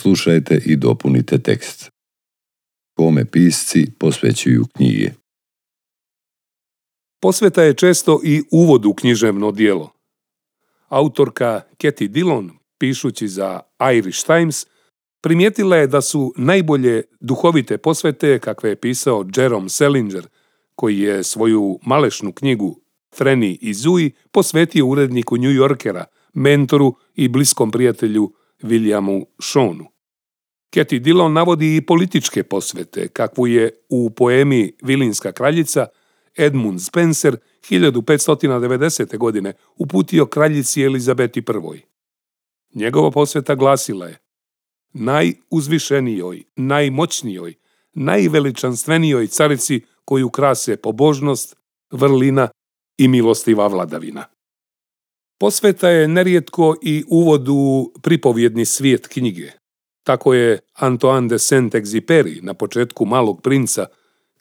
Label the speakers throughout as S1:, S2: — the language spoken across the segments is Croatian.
S1: Slušajte i dopunite tekst. Kome pisci posvećuju knjige.
S2: Posveta je često i uvod u književno djelo. Autorka Katy Dillon, pišući za Irish Times, primijetila je da su najbolje duhovite posvete kakve je pisao Jerome Salinger, koji je svoju malešnu knjigu Franny i Zooey posvetio uredniku New Yorkera, mentoru i bliskom prijatelju Williamu Shawnu. Katy Dillon navodi i političke posvete, kakvu je u poemi Vilinska kraljica Edmund Spenser 1590. godine uputio kraljici Elizabeti I. Njegova posveta glasila je: najuzvišenijoj, najmoćnijoj, najveličanstvenijoj carici koju krase pobožnost, vrlina i milostiva vladavina. Posveta je nerijetko i uvod u pripovjedni svijet knjige. Tako je Antoine de Saint-Exupéry na početku Malog princa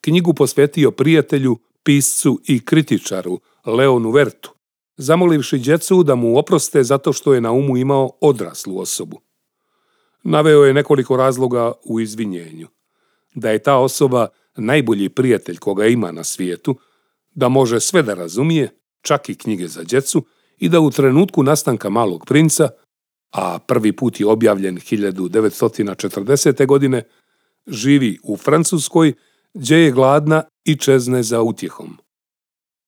S2: knjigu posvetio prijatelju, piscu i kritičaru Leonu Vertu, zamolivši djecu da mu oproste zato što je na umu imao odraslu osobu. Naveo je nekoliko razloga u izvinjenju. Da je ta osoba najbolji prijatelj koga ima na svijetu, da može sve da razumije, čak i knjige za djecu, i da u trenutku nastanka Malog princa, a prvi put je objavljen 1940. godine, živi u Francuskoj, gdje je gladna i čezne za utjehom.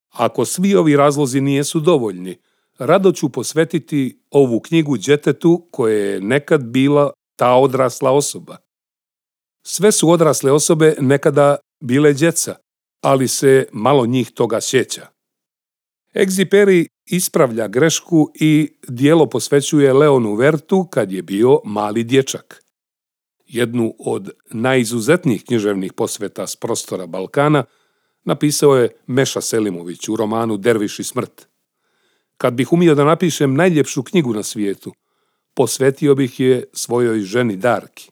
S2: Ako svi ovi razlozi nijesu dovoljni, rado ću posvetiti ovu knjigu djetetu koje je nekad bila ta odrasla osoba. Sve su odrasle osobe nekada bile djeca, ali se malo njih toga sjeća. Exupéry ispravlja grešku i djelo posvećuje Leonu Vertu kad je bio mali dječak. Jednu od najizuzetnijih književnih posveta s prostora Balkana napisao je Meša Selimović u romanu Derviš i smrt. Kad bih umio da napišem najljepšu knjigu na svijetu, posvetio bih je svojoj ženi Darki.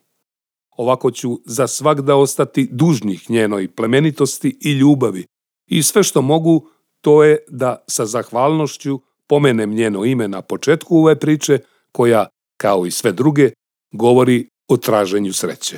S2: Ovako ću za svagda ostati dužnih njenoj plemenitosti i ljubavi i sve što mogu to je da sa zahvalnošću pomenem njeno ime na početku ove priče koja, kao i sve druge, govori o traženju sreće.